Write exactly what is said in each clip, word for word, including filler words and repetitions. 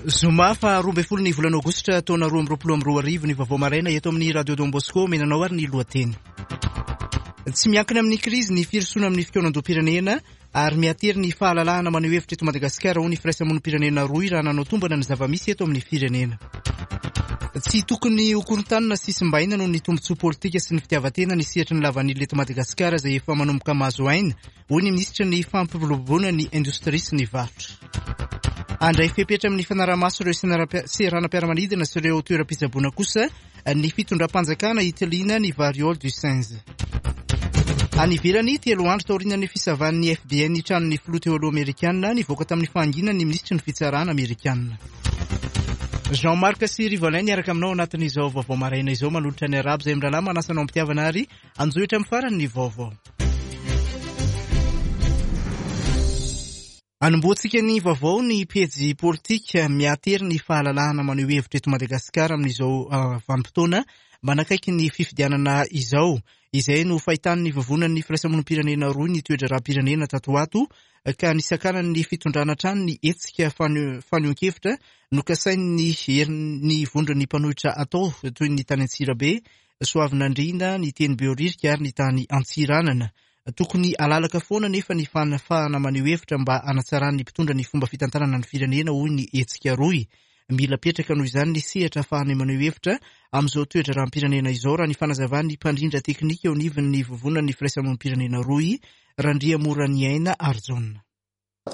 Zoma faha roa ambin'ny folo ny volana aogositra taona roa amby roapolo amby roa arivo ny vaovao maraina eto amin'ny Radio Don Bosco menanao ary ny lohateny. Tsy miankina amin'ny krizy ny firosoana amin'ny fikaonandoham-pirenena ary miatery ny fahalalahana maneho hevitra eto Madagasikara ho ny firaisamonim-pirenena roa raha nanao tombana ny zava-misy eto amin'ny firenena. Tsy tokony ho korontanina sy simbaina noho ny tombontsoa politika sy ny fitiavan-tena ny sehatry ny lavanila eto Madagasikara izay efa manomboka mahazo aina, hoy ny minisitry ny fampiroboroboana ny indostria sy ny varotra. Handray fepetra amin'ny fanaraha-maso ireo seranam-piaramanidina sy ireo toeram-pitsaboana kosa ny fitondram-panjakana hitiliana ny variole du singe. Any ivelany, telo andro taorian'ny fisavan'ny F B I ny tranon'ny filoha teo aloha amerikana, nivoaka tamin'ny fahanginany ny minisitry ny fitsarana amerikana. Jean-Marc sy Rivolin niaraka aminao anatin'izao vaovao maraina izao manolotra ny arabo izay mirahalahy manasa anao am-pitiavana ary anjohitra amin'ny farany ny vaovao. Anombohantsika ny vaovao ny pejy politika miatery ny fahalalahana maneho hevitra eto Madagasikara amin'izao vanim-potoana manakaiky ny fifidianana izao. Izay no fahitan'ny vovonan'ny firaisamonim-pirenena roa ny toe-draharaham-pirenena tato ho ato ka nisakanan'ny fitondrana hatrany ny hetsika fanehoan-kevitra nokasain'ny herin'ny vondron'ny mpanohitra atao toy ny tany Antsirabe, Soavinandriana, ny teny Behoririka ary ny tany Antsiranana. Tokony alalaka foana nefa ny fanafahana maneho hevitra mba hanatsaran'ny mpitondra ny fomba fitantanana ny firenena, hoy ny hetsika rohy. Mila petraka noho izany ny sehatra ahafahana maneho hevitra amin'izao toe-draharaham-pirenena izao raha ny fanazavan'ny mpandrindra teknika eo anivon'ny vovonan'ny firaisamonim-pirenena rohy, Randriamoraniaina Arjaona.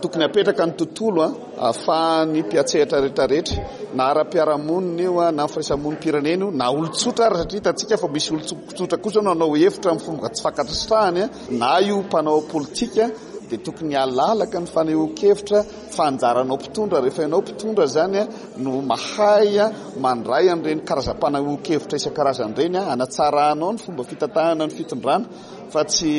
Tokony apetraka ny tontolo ahafahan'ny mpiantsehatra rehetrarehetra na ara-piarahamonina io na firaisamonim-pirenena io na olon-tsotra ary satria hitantsika fa misy olon-tsotra kosa no hanao hevitra amin'ny fomba tsy fankasitrahany na io mpanao politika dia tokony halalaka ny fanehoan-kevitra fa anjaranao mpitondra rehefa ianao mpitondra zany no mahay mandray an'ireny karazam-panehoan-kevitra isan-karazany ireny hanatsaranao ny fomba fitantanana ny fitondrana fa tsy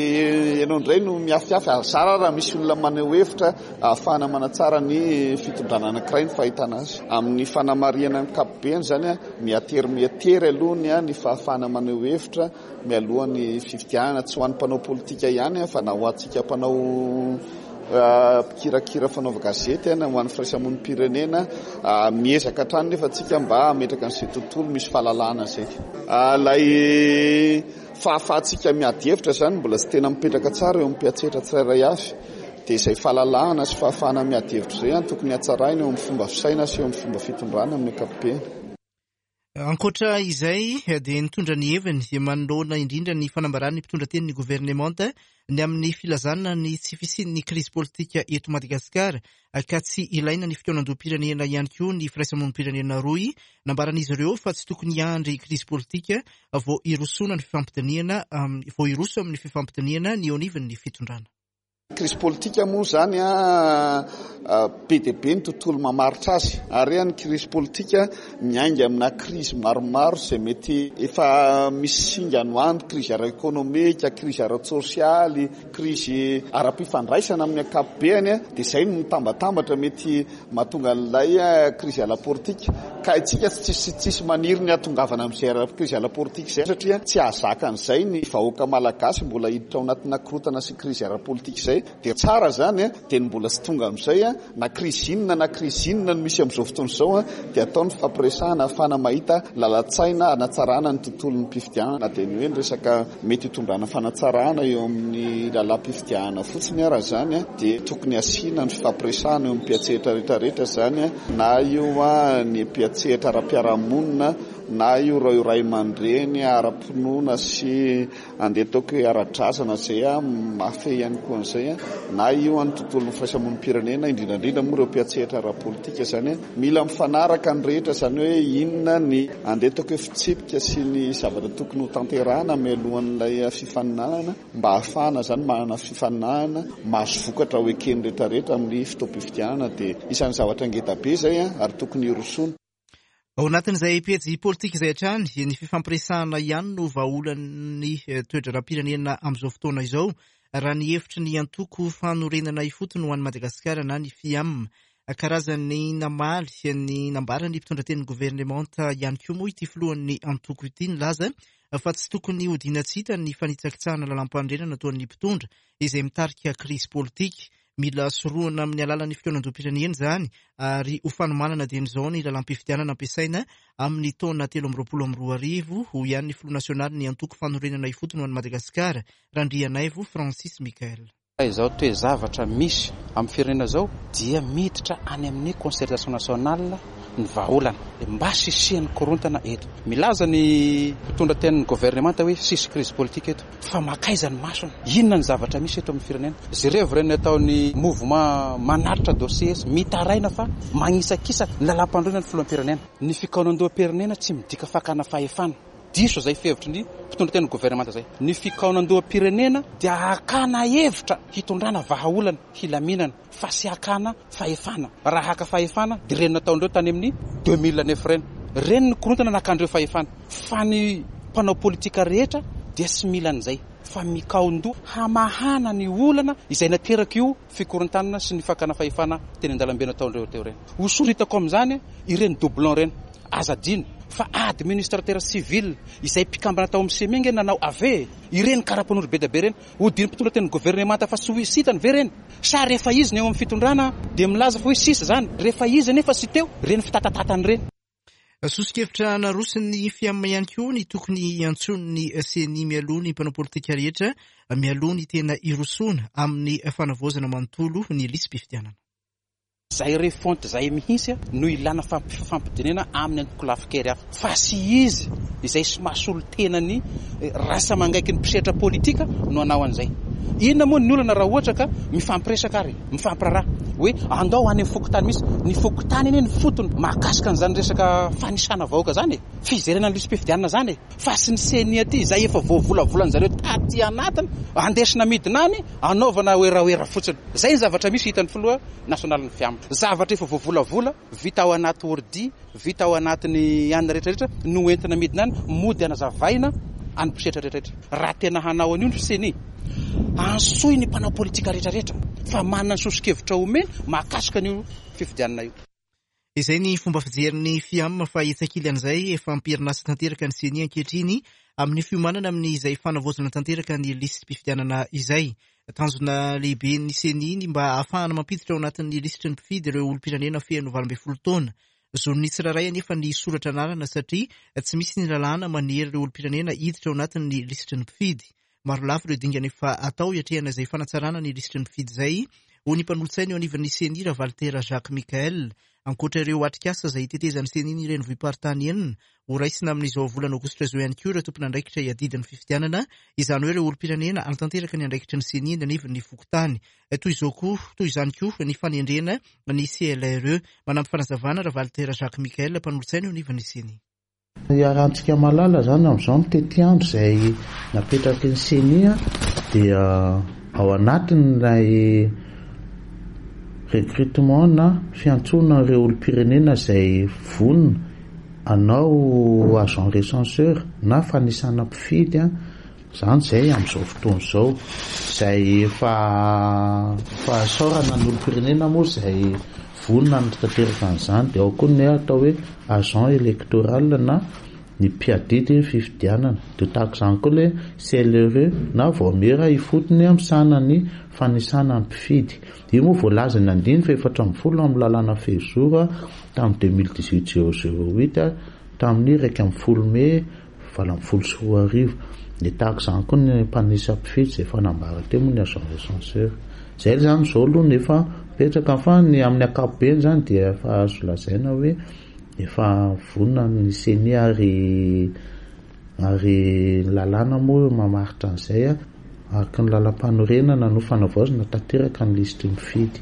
ianao indray no miafiafy zara raha misy olona maneho hevitra ahafahana manatsara ny fitondrana anankiray ny fahitana azy. Amin'ny fanamarihana ankapobeny zany miatery miatery aloha ny fahafahana maneho hevitra mialoha ny fifidianana tsy ho an'ny mpanao politika ihany fa na ho antsika mpanao mpikirakira fanaova gazety na ho an'ny firaisamonim-pirenena miezaka hatrany nefa tsika mba hametraka an'izay tontolo misy fahalalahana izay. Ilay fahafahantsika miady hevitra zany mbola tsy tena mipetraka tsara eo amin'ny mpiantsehatra tsirairay avy dia izay fahalalahana sy fahafahana miady hevitra izay tokony hatsaraina eo amin'ny fomba fisaina sy eo amin'ny fomba fitondrana amin'ny ankapobeny. Ankoatra izay dia nitondra ny heviny manoloana indrindra ny fanambaran'ny mpitondra tenin'ny governemanta ny amin'ny filazana ny tsy fisian'ny krizy politika eto Madagasikara ka tsy ilaina ny fikaonandoham-pirenena ihany koa ny firaisamonim-pirenena rohy. Nambaran'izy ireo fa tsy tokony hiandry krizy politika vao hirosoana ny fifampidinihana vao hiroso amin'ny fifampidinihana ny eo anivon'ny fitondrana. Krizy politika moa zany a be dia be ny tontolo mamaritra azy ary ny krizy politika miainga amina krizy maromaro izay mety efa misy singany ho any, krizy ara-ekonomika, krizy ara-tsosialy, krizy ara-pifandraisana amin'ny ankapobeny dia izay no mitambatambatra mety mahatonga an'ilay krizy ara-politika ka isika tsisy tsisy maniry ny hahatongavana amin'izay krizy ara-politika izay satria tsy hahazaka an'izay ny vahoaka malagasy mbola hiditra ao anatina korontana sy krizy ara-politika izay. Dia tsara zany dia ny mbola tsy tonga amin'izay na krizy inona na krizy inona no misy amin'izao fotoana izao dia atao ny fampiresahana ahafahana mahita lalan-tsaina hanatsarana ny tontolon'ny mpifidianana na dia ny hoe ny resaka mety hitondrana fanatsarana eo amin'ny lalam-pifidianana fotsiny ara zany dia tokony asiana ny fampiresahana eo amin'ny mpiantsehatra rehetrarehetra zany na io ny mpiantsehatra ara-piarahamonina na io ireo ray aman-dreny ara-pinoana sy andeha ataoko hoe ara-drazana izay mafy ihany koa an'izay na io ny tontolon'ny firaisamonim-pirenena indrindra indrindra moa ireo mpiantsehatra ara-politika zany mila mifanaraka ny rehetra zany hoe inona ny andeha ataoko hoe fitsipika sy ny zavatra tokony ho tanterahana mialohan'ilay fifaninanana mba ahafahana zany manana fifaninanana mahazo vokatra ho eken'ny rehetrarehetra amin'ny fotoam-pifidianana dia isan'ny zavatra ngeda be izay ary tokony hirosoana. Ao anatin'izay pejy politika izay hatrany, ny fifampiresahana ihany no vahaolan'ny toe-draharaham-pirenena amin'izao fotoana izao raha ny hevitry ny antoko fanorenana ifotony ho an'i Madagasikara na ny F I A M. Karazany namaly ny nambaran'ny mpitondra tenin'ny governemanta ihany koa moa ity filohan'ny antoko ity nilaza fa tsy tokony hodiana tsy hita ny fanitsakitsahana lalam-panorenana ataon'ny mpitondra izay mitarika krizy politika. Mila sorohana amin'ny alalan'ny fikaonandoham-pirenena izany ary ho fanomanana dieny izao ny lalam-pifidianana ampiasaina amin'ny taona telo amby roapolo amby roa arivo, hoy ihany ny filoha nasionaly ny antoko fanorenana ifotony ho an'i Madagasikara, Randrianaivo Francis Michael. Izao toe-zavatra misy amin'ny firenena izao dia miditra any amin'ny concertation nationale ny vahaolana mba sisian'ny korontana eto. Milaza ny mpitondra tenin'ny gouvernemanta hoe sisy crise politique eto, fa makaiza ny masony? Inona ny zavatra misy eto amin'ny firenena? Jereo ireny ataon'ny mouvement manaritra dossier mitaraina fa magnisakisaka ny lalam-pandroana ny filoham-pirenena. Ny fikaonandoham-pirenena tsy midika fakana fahefana. Diso izay fihevitry ny mpitondra tenin'ny gouvernemanta izay. Ny fikaonandoham-pirenena dia hakana hevitra hitondrana vahaolana hilaminana fa sy hakana fahefana. Raha haka fahefana dia ireny nataondreo tany amin'ny deux mille neuf ireny. Ireny ny korontana nakandreo fahefana. Fa ny mpanao politika rehetra dia tsy mila an'izay fa mikaondoha hamahana ny olana izay nateraka io fikorontanana sy ny fakana fahefana teny an-dalambe nataondreo teo ireny. Hosoritako amin'izany ireny doublon ireny. Aza adino fa administrateur civil izay mpikambana tao amin'ny C M I nge nanao A V ireny karapanondro be dia be ireny. Hodiny mpitondra tenin'ny gouvernemanta fa tsy ho sitany ve ireny? Sa rehefa izy ny eo amin'ny fitondrana dia milaza fa hoe sisa izany, rehefa izy nefa tsy teo ireny fitatatatany ireny. Soso-kevitra naroson'ny FIAM ihany koa ny tokony hiantsoan'ny C E N I mialoha ny mpanao politika rehetra mialoha ny tena hirosoana amin'ny fanavaozana manontolo ny lisi-pifidianana. Zay refonte zay mihitsy no ilana fampidinena amin'ny antokolafikery hafa, fa sy izy izay sy mahasolo tena ny rasa mangaiky ny mpisehatra politika no hanao an'izay. Inona moa ny olana raha ohatra ka mifampiresaka ary mifampiraharaha hoe andao any amin'ny fokontany misy ny fokontany anie ny fotony mahakasika an'izany resaka fanisana vahoaka zany e, fizerana ny lisi-pifidianana zany e, fa sy ny C E N I aty izay efa voavolavolan'zareo taty anatiny andesina midina any anaovana oeraoera fotsiny. Zay ny zavatra misy hitan'ny filoha nasionaly ny FIAM. Zavatra efa voavolavola vita ao anaty ordi, vita ao anatin'ny anina rehetrarehetra no entina midina any mody anazavaina any mpisehatra rehetrarehetra. Raha tena hanao an'io ny C E N I, antsoy ny mpanao politika rehetrarehetra fa manana ny soso-kevitra omeny mahakasika an'io fifidianana io. Izay ny fomba fijerin'ny FIAM, fa etsakily an'izay efa amperinasa tanteraka ny C E N I ankehitriny amin'ny fiomanana amin'izay fanavaozana tanteraka ny lisi-pifidianana izay. Tanjona lehibe ny C E N I ny mba ahafahana mampiditra ao anatin'ny lisitry ny mpifidy ireo olom-pirenena feno valo ambin'ny folo taona. Zon'ny tsirairay anefa ny soratra anarana satria tsy misy ny lalàna manery ireo olom-pirenena hiditra ao anatin'ny lisitry ny mpifidy. Maro lafy ireo dingana efa atao hiatrehana izay fanatsarana ny lisitry ny mpifidy izay, hoy ny mpanolotsaina eo anivon'ny C E N I, Ravalitera Jacques Michael. Ankoatra ireo atrikasa izay hitetezan'ny C E N I ny renivohi-paritany enina, ho raisina amin'izao volana aogositra izao ihany koa ireo tompon'andraikitra hiadidy ny fifidianana, izany hoe ireo olom-pirenena hanatanteraka ny andraikitry ny C E N I eny anivon'ny fokontany. Toy izao koa, toy izany koa ny fanendrena ny C L R E. Manampy fanazavana Ravalitera Jacques Michael, mpanolotsaina eo anivon'ny C E N I. Iarahantsika malala zany amin'izao ny tetiandro izay napetraky ny C E N I dia ao anatin'ilay recrutement na fiantsoana ireo olom-pirenena izay vonona anao agent recenseur na fanisana mpifidy a zany zay amin'izao fotoana izao zay efa fahasaorana ny olom-pirenena moa zay vonona ny tanteraka an'izany. Dia ao koa ny atao hoe agent électoral na ny mpiadidy fifidianana, dia tahaka izany koa le C L R E na vaomiera ifotony misahana ny fanisana ny mpifidy. Io moa voalaza ny andiny fa efatra amby folo amin'ny lalàna fehizoro tamin'ny deux mille dix-huit zéro zéro huit tamin'ny iraika amby folo mey valo amby folo sy roa arivo. Dia tahaka izany koa ny mpanisa mpifidy zay fanambara teo moa ny agent recenseur. Zay zany zao aloha nefa mipetraka, fa ny amin'ny ankapobeny zany dia efa azo lazaina hoe efa vonona ny C E N I ary ary ny lalàna moa mamaritra an'izay a araka ny lalam-panorenana no fanavaozana tanteraka ny lisitry mifidy.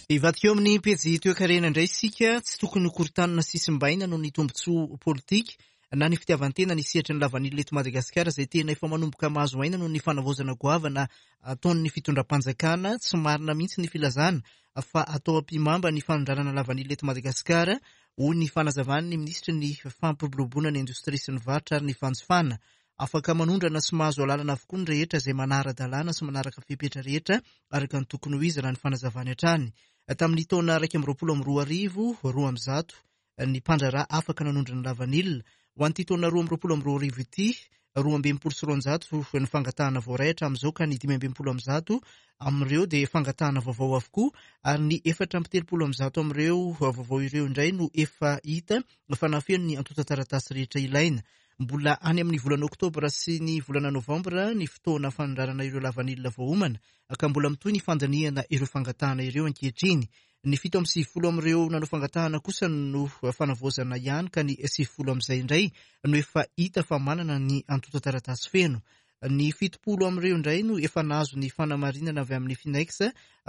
Ivadika eo amin'ny pejy toekarena indray isika. Tsy tokony hokorontanina sy simbaina noho ny tombontsoa politika na ny fitiavan-tena ny sehatry ny lavanila eto Madagasikara izay tena efa manomboka mahazo aina noho ny fanavaozana goavana ataon'ny fitondram-panjakana. Tsy marina mihitsy ny filazana fa atao ampihimamba ny fanondranana lavanila eto Madagasikara, hoy ny fanazavan'ny minisitry ny fampiroboroboana ny indostria sy ny varotra ary ny fanjifana. Afaka manondrana sy mahazo alalana avokoa ny rehetra izay manara-dalàna sy manaraka fepetra rehetra araka ny tokony ho izy, raha ny fanazavany hatrany. Tamin'ny taona raiky amby roapolo amby roa arivo, roa amby zato ny mpandraharaha afaka nanondrana lavanila. Ho an'ity taona roa amby roapolo amby roa arivo ity, Roa amby enimpolo sy roanjato ny fangatahana voaray hatramin'izao, ka ny dimy amby enimpolo amby zato amin'ireo dia fangatahana vaovao avokoa, ary ny efatra amby telopolo amby zato amin'ireo vaovao ireo indray no efa hita fa nahafeno ny antontan-taratasy rehetra ilaina. Mbola any amin'ny volana oktobra sy ny volana novambra ny fotoana fanondranana ireo lavanila voaomana, ka mbola mitohy ny fandinihana ireo fangatahana ireo ankehitriny. Ny fito amby sivifolo amin'ireo nanao fangatahana kosa no fanavaozana ihany, ka ny sivifolo amin'izay indray no efa hita fa manana ny antontan-taratasy feno. Ny fitopolo amin'ireo indray no efa nahazo ny fanamarinana avy amin'ny Finex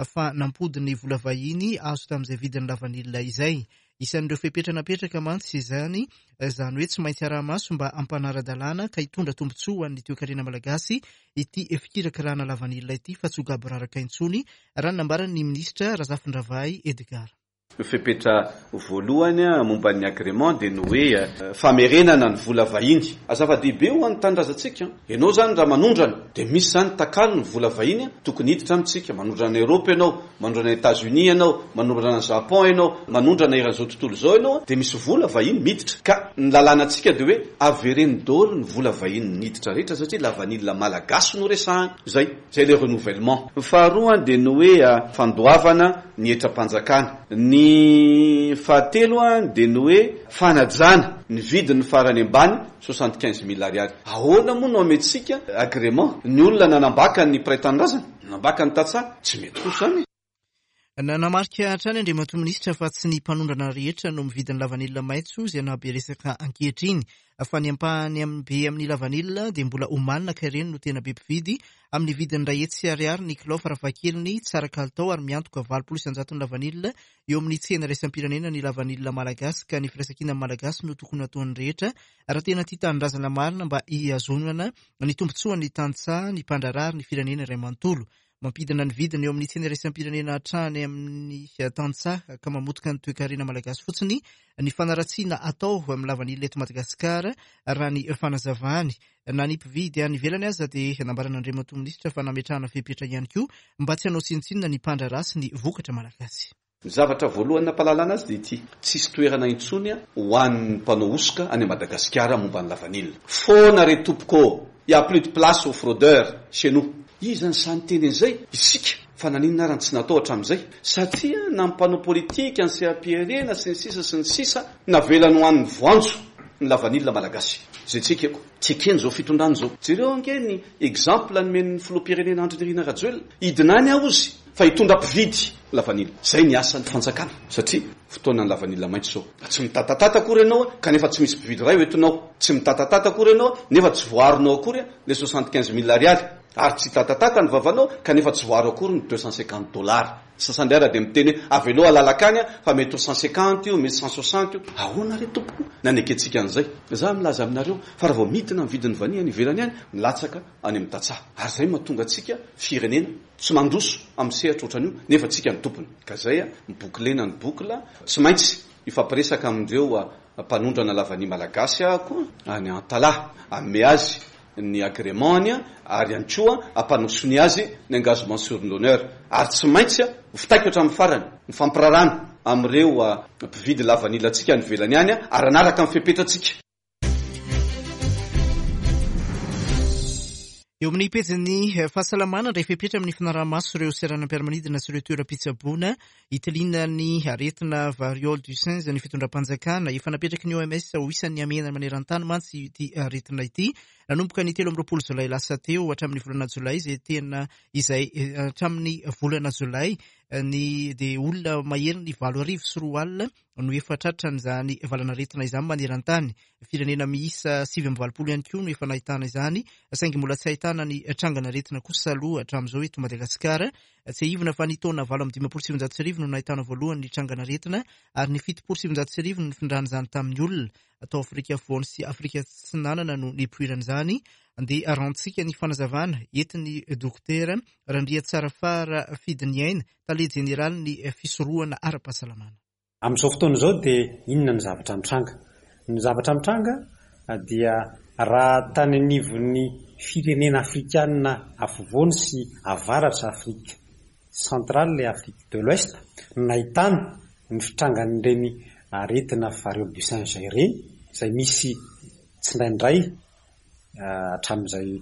fa nampody ny vola vahiny azo tamin'izay vidin'ny lavanila izay. Isan'ireo fepetra napetraka mantsy izany, izany hoe tsy maintsy araha-maso mba hampanara-dalàna ka hitondra tombontsoa ho an'ny toekarena malagasy ity fikirakirana lavanila ity, fa tsy ho gaboraraka intsony, raha ny nambaran'ny minisitra Razafindravahy Edgar. Ny fepetra voalohany momba ny agrément dia ny hoe famerenana ny vola vahiny. Zava-dehibe ho an'ny tanindrazantsika. Ianao izany raha manondrana dia misy izany takalo ny vola vahiny tokony hiditra amintsika. Manondrana Europe ianao, manondrana États-Unis ianao, manondrana Japon ianao, manondrana eran'izao tontolo izao ianao, dia misy vola vahiny miditra. Ka ny lalànantsika dia hoe avereno daholo ny vola vahiny niditra rehetra, satria lavanila malagasy no resahana. Zay, zay le renouvellement. Ny faharoa dia ny hoe fandoavana ny hetram-panjakana. Ny fahatelo dia ny hoe fanajana ny vidin'ny farany ambany soixante quinze mille ariary. Ahoana moa no ametrika agrément ny olona nanambaka ny mpiray tanindrazana, nanambaka ny tantsaha? Tsy mety kosa izany. Nanamarika hatrany Andriamatoa Minisitra fa tsy ny mpanondrana rehetra no mividy ny lavanila maitso izay nahabe resaka ankehitriny, fa ny ampahany be amin'ny lavanila dia mbola omanina, ka ireny no tena be mpividy amin'ny vidiny iray hetsy ariary ny kilao farafahakeliny, tsara kalitao ary miantoka valopolo isan-jato ny lavanila eo amin'ny tsena iraisam-pirenena ny lavanila malagasy, ka ny firaisankina malagasy no tokony hataon'ny rehetra raha tena tia tanindrazana marina mba hihazonana ny tombontsoan'ny tantsaha, ny mpandraharaha ary ny firenena iray manontolo. Mampidina ny vidiny eo amin'ny tsena iraisam-pirenena hatrany amin'ny tantsaha ka mamotika ny toekarena malagasy fotsiny ny fanaratsiana atao amin'ny lavanila eto Madagasikara, raha ny fanazavany. Na ny mpividy any ivelany aza dia nambaran'Andriamatoa Minisitra fa nametrahana fepetra ihany koa mba tsy hanao tsinontsinona ny mpandraharaha sy ny vokatra malagasy. Ny zavatra voalohany nampahalalana azy dia ity: tsisy toerana intsony ho an'ny mpanao hosoka any Madagasikara momba ny lavanila. Foana re tompoko, il y a plus de place aux fraudeurs chez nous. Iza ny sahy niteny an'izay? Isika. Fa naninona ary ny tsy natao hatramin'izay? Satria na ny mpanao politika, ny seha-pirenena sy ny sisa sy ny sisa navelany ho an'ny voanjo ny lavanila malagasy. Izay tsy ekeko. Tsy ekeny izao fitondrana izao. Jereo ange ny exemple nomen'ny filoham-pirenena Andry Nirina Rajoelina. Hidina any aho izy fa hitondra mpividy lavanila. Izay ny asan'ny fanjakana, satria fotoanan'ny lavanila maitso izao. Tsy mitatatata akory ianao kanefa tsy misy mpividy iray ho entinao. Tsy mitatatata akory ianao nefa tsy voaharonao akory le soixante quinze mille ariary. Ary tsy tatatata ny vavanao kanefa tsy voaharo akory ny deux cent cinquante dollars. Sasany indray raha dia miteny hoe avelao alalaka any fa mety ho cent cinquante io, mety cent soixante io. Ahoana re tompoko nanekentsika an'izay? Za milaza aminareo fa raha vao midina ny vidin'ny vania any ivelany any, milatsaka any amin'ny tantsaha. Ary izay mahatonga antsika firenena tsy mandroso amin'ny sehatra ohatran'io nefa tsika ny tompony. Ka zay a, mibouclena ny boucle, tsy maintsy hifampiresaka amin'ireo mpanondrana lavania malagasy aho any Antalaha. Hanome azy ny agrément-ny ary ihany koa hampanosoany azy ny engagement sur l'honneur. Ary tsy maintsy ho fitaiko hatramin'ny farany ny fampirarana amin'ireo mpividy lavanila antsika any ivelany any ary hanaraka ny fepetratsika. Eo amin'ny pejin'ny fahasalamana, indray fepetra amin'ny fanaraha-maso ireo seranam-piaramanidina sy ireo toeram-pitsaboana hitiliana ny aretina variole du singe ny fitondram-panjakana. Efa napetraky ny O M S ho isan'ny hamehana maneran-tany mantsy ity aretina ity. Nanomboka ny telo amby roapolo jolay lasa teo hatramin'ny volana jolay izay tena izay hatramin'ny volana jolay ny dia olona mahery ny valo arivo sy roa alina no efa tratran'izany valanaretina izany maneran-tany. Firenena miisa sivy amby valopolo ihany koa no efa nahitana izany, saingy mbola tsy ahitana ny trangan'aretina kosa aloha hatramin'izao eto Madagasikara. Tsiahivina fa ny taona valo amby dimampolo sy sivinjato sy arivo no nahitana voalohany ny trangan'aretina ary ny fitopolo sy sivinjato sy arivo no nifindran'izany tamin'ny olona. Tao Afrika Afovoany sy Afrika Atsinanana no nipoiran'izany. Andeha arantsika ny fanazavana entin'ny dokotera Randriatsarafara Fidiniaina, tale jeneralin'ny fisorohana ara-pahasalamana. Amin'izao fotoana izao dia inona ny zavatra mitranga? Ny zavatra mitranga dia raha tany anivon'ny firenena afrikanina afovoany sy avaratra Afrika centrale et Afrique de l'Ouest no nahitana ny fitrangan'ireny aretina variole du singe ireny, izay misy tsindraindray hatramin'izay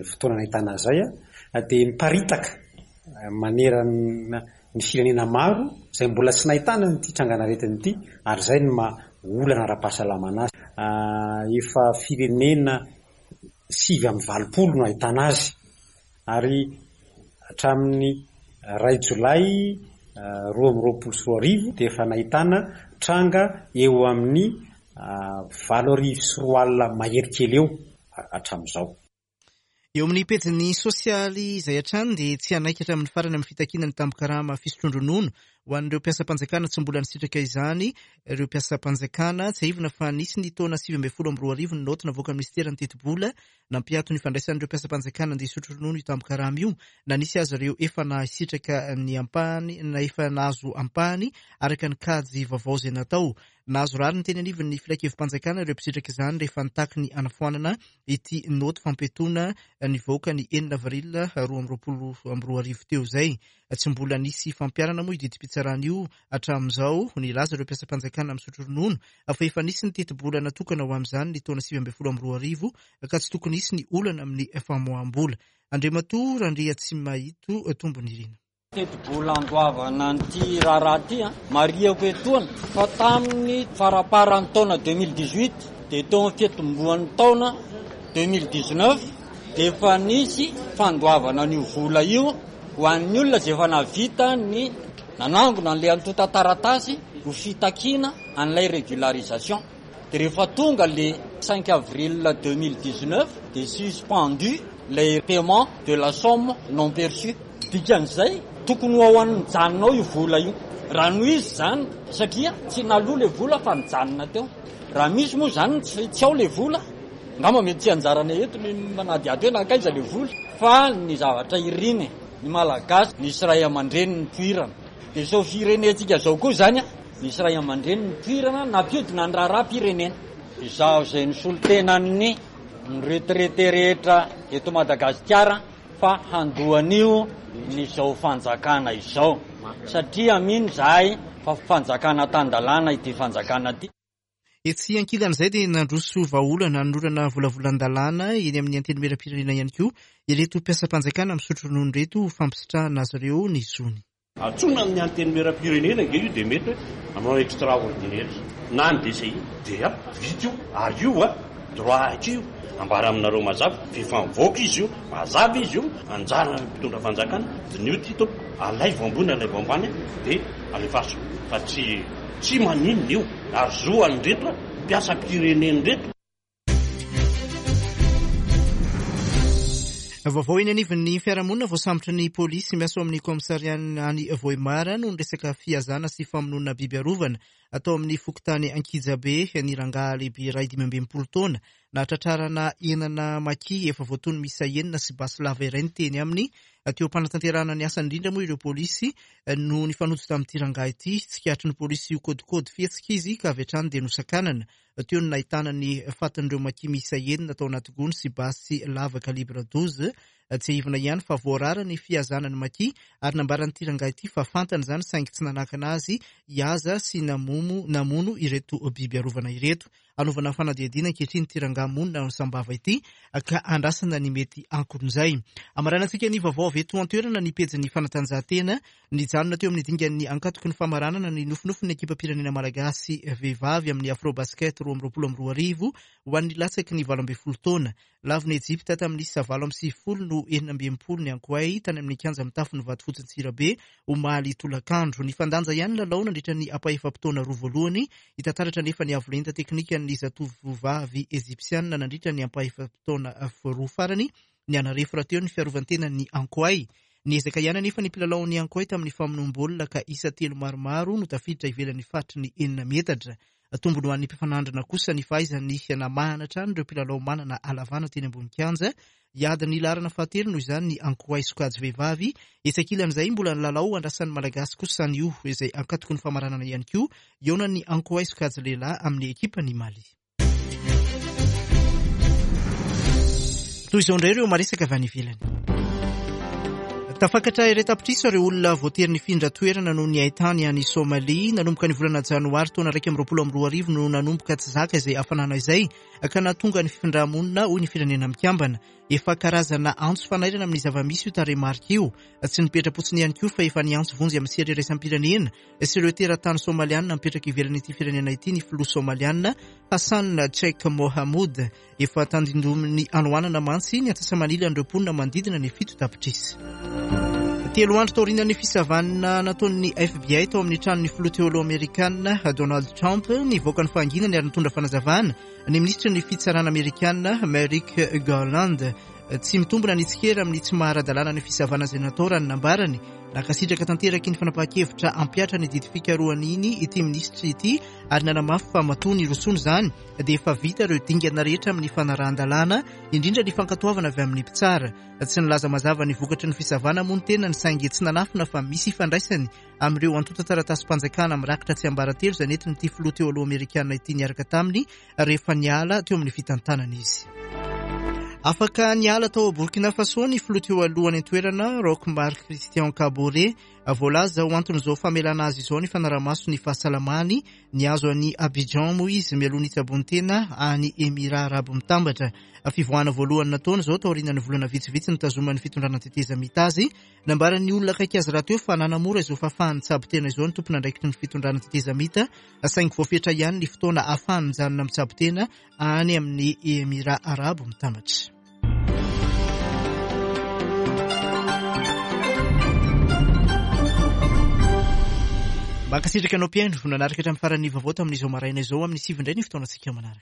fotoana nahitana an'izay dia miparitaka manerana ny firenena maro izay mbola tsy nahitana ity trangan'aretina ity, ary izay no maha olana ara-pahasalamana azy. Efa firenena sivy amby valopolo no ahitana azy, ary hatramin'ny iray jolay roa amby roapolo sy roa arivo dia efa nahitana tranga eo amin'ny valo arivo sy roa alina mahery kely eo hatramin'izao. Eo amin'ny pejin'ny sosialy izay hatrany dia tsy hanaiky hatramin'ny farany amin'ny fitakiana ny tambin-karama fisotroan-dronono ho an'ireo mpiasam-panjakana tsy mbola nisitraka izany ireo mpiasam-panjakana. Tsiahivina fa nisy ny taona sivy ambin'ny folo amby roa arivo ny naoty navoakan'ny minisiteran'ny tetibola nampiato ny fandraisan'ireo mpiasam-panjakana andeha hisotro ronono io tambin-karama io, na nisy aza ireo efa nasitraka ny ampahany na efa nahazo ampahany araka ny kajy vaovao izay natao. Nahazo rariny teny anivon'ny filankevi-panjakana ireo mpisitraka izany rehefa nitaky ny hanafoanana ity naoty fampiatoana nivoaka ny enina avril roa amby roapolo amby roa arivo teo izay. Tsy mbola nisy fampiharana moa io didim-pitsarana io hatramin'izao. Nilaza ireo mpiasam-panjakana misotro ronono fa efa nisy ny tetibola natokana ho amin'izany ny taona sivy ambin'ny folo amby roa arivo ka tsy tokony hisy ny olana amin'ny famoaham-bola. Andriamatoa Randriatsimahito Tombonirina. Tetibola andoavana an'ity raharaha ity, marihako etoana fa tamin'ny faramparan'ny taona deux mille dix-huit dia teo amin'ny fiatombohan'ny taona deux mille dix-neuf dia efa nisy fandoavana an'io vola io ho an'ny olona izay efa nahavita ny nanangona an'ilay antontan-taratasy ho fitakiana an'ilay régularisation. Dia rehefa tonga le cinq avril deux mille dix-neuf dia suspendu le paiement de la somme non perçue. Dikan'izay tokony ho ao an'ny mijanona ao io vola io. Raha noho izy zany, satria tsy naloa le vola fa nijanona teo. Raha misy moa zany tsy ao le vola, angamba mety tsy anjarana eto ny manadihady hoe nankaiza le vola, fa ny zavatra iriny ny Malagasy nisy ray aman-dreny nipoirana. Dia izao firenentsika izao koa zany, nisy ray aman-dreny nipoirana nampiodina ny raharaham-pirenena. Izaho izay nisolo tenan'ny retraité rehetra eto Madagasikara fa handoan'io ny izao fanjakana izao, satria mino izahay fa fanjakana tan-dalàna ity fanjakana ity. Etsy ankilan'izay dia nandroso vahaolana nanorana volavolan-dalàna eny amin'ny antenimieram-pirenena ihany koa ireto mpiasam-panjakana misotro ronono ireto ho fampisitrahana azy ireo ny zony. Antsoina amin'ny antenimieram-pirenena ange io dia mety hoe hanao extraordinaire na ny D C I dia vita io, ary io a droit acquis io, ambara aminareo mazava fa efa mivoaka izy io, mazava izy io, anjaran'ny mpitondra fanjakana diniho ity tompoko, alaivo ambony alaivo ambany dia alefaso fa tsy tsy maninona io, ary zo an'ireto mpiasam-pirenena ireto. Vaovao eny anivon'ny fiarahamonina voasambotry ny polisy miasa ao amin'ny kaomisariana any Vohemar noho ny resaka fihazana sy famonoana biby arovana atao amin'ny fokontany Ankijabe ny rangahy lehibe iray dimy amby enimpolo taona. Nahatratrarana enana maki efa voatono miisa enina sy basy lava iray ny teny aminy. Teo am-panatanterahana ny asany indrindra moa ireo polisy no nifanojo tamin'ity rangahy ity. Tsikaritry ny polisy io kodikody fihetsika izy ka avy hatrany dia nosakanana. Teo no nahitana ny fatin'ireo maki miisa enina tao anaty gony sy basy lava calibre douze. Tsiahivina ihany fa voarara ny fihazana ny maki ary nambaran'ity rangahy ity fa fantany izany saingy tsy nanakana azy hihaza sy namono namono ireto biby arovana ireto. Anaovana fanadihadiana ankehitriny ity rangahy monina ao Sambava ity ka andrasana ny mety ankon'izay. Amaranantsika ny vaovao avy eto an-toerana ny pejin'ny fanatanjahantena. Nijanona teo amin'ny dingan'ny ankatoky ny famaranana ny nofinofin'ny ekipam-pirenena malagasy vehivavy amin'ny Afrobasket roa amby roapolo amby roa arivo ho an'ny latsaky ny valo ambin'ny folo taona. Lavon'i Ejipta tamin'ny isa valo amby sivifolo no enina amby enimpolo ny Ankoay tany amin'ny kianja mitafo ny Vatofotsy Antsirabe omaly tolakandro. Nifandanja ihany ny lalao nandritra ny ampahefa-potoana roa voalohany. Hita taratra nefa ny avo lenta teknikan'ny zatovovavy ejipsianina nandritra ny ampahefa-potoana roa farany. Nianarefo rahateo ny fiarovan-tenan'ny Ankoay. Niezaka ihany anefa ny mpilalaon'ny Ankoay tamin'ny famonoam-baolina ka isa telo maromaro no tafiditra ivelan'ny faritry ny enina metatra. Tombony ho an'ny mpifanandrina kosa ny fahaizany namahana hatrany ireo mpilalao manana halavana teny ambony kianja. Hiady ny laharana fahatelo noho izany ny Ankoay sokajy vehivavy. Etsy ankilan'izay mbola ny lalao andrasan'ny Malagasy kosa anio izay ankatoky ny famaranana ihany koa hihaonan'ny Ankoay sokajy lehilahy amin'ny ekipan'i Mali. Toy izao indray ireo maresaka avy any ivelany. Tafakatra iray tapitrisa ireo olona voatery nifindra toerana noho ny haintany any Somalia. Nanomboka ny volana janoary taona iraika amby roapolo amby roa arivo no nanomboka tsy zaka izay hafanana izay ka nahatonga ny fifindra-monina, hoy ny Firenena Mikambana. Efa karazana antso fanairana amin'ny zava-misy io tarehimarika io. Tsy nipetra-potsiny ihany koa fa efa niantso vonjy amin'ny sehatra iraisam-pirenena sy ireo teratany somalianina mipetraka ivelan'ity firenena ity ny filoha somalianina Hassan Sheikh Mohamud. Efa tandindomin'ny hanoanana mantsy ny antsasa-manilan'ireo mponina manodidina ny fito tapitrisa. Telo andro taorian'ny fisavanana nataon'ny F B I tao amin'ny tranon'ny filoha teo aloha amerikana Donald Trump, nivoaka ny fahanginany ary nitondra fanazavana ny minisitry ny fitsarana amerikana Merrick Garland. Tsy mitombona ny tsikera amin'ny tsy maha-ara-dalàna ny fisavana izay natao, raha ny nambarany. Nankasitraka tanteraka ny fanapahan-kevitra hampihatra ny didy fikarohana iny ity minisitry ity ary nanamafy fa matoa nirosoana izany dia efa vita ireo dingana rehetra amin'ny fanarahan-dalàna, indrindra ny fankatoavana avy amin'ny mpitsara. Tsy nilaza mazava ny vokatry ny fisavana moa ny tenany, saingy tsy nanafina fa misy ifandraisany amin'ireo antontan-taratasym-panjakana mirakitra tsiambaratelo izay nentin'ity filoha teo aloha amerikana ity niaraka taminy rehefa niala teo amin'ny fitantanana izy. Afaka niala tao Burkina Faso ny filoha teo alohany an-toerana Roch Marc Christian Kaboré. Voalaza ho anton'izao famelana azy izao ny fanarahamaso ny fahasalamany. Niazo any Abidjan moa izy mialoha ny hitsabony tena any Émirats Arabo Mitambatra. Fivoahana voalohany nataony izao taorian'ny volana vitsivitsy nitazoman'ny fitondrana tetezamita azy. Nambaran'ny olona akaiky azy raha teo fa nanamora izao fahafahany mitsabo tena izao ny tompon'andraikitry ny fitondrana tetezamita, saingy voafetra ihany ny fotoana ahafahany mijanona mitsabo tena any amin'ny Émirats Arabo Mitambatra. Mankasitraka anao mpihaino nanaraka hatramin'ny faran'ny vaovao tamin'izao maraina izao. Amin'ny sivy indray ny fotoanantsika manaraka.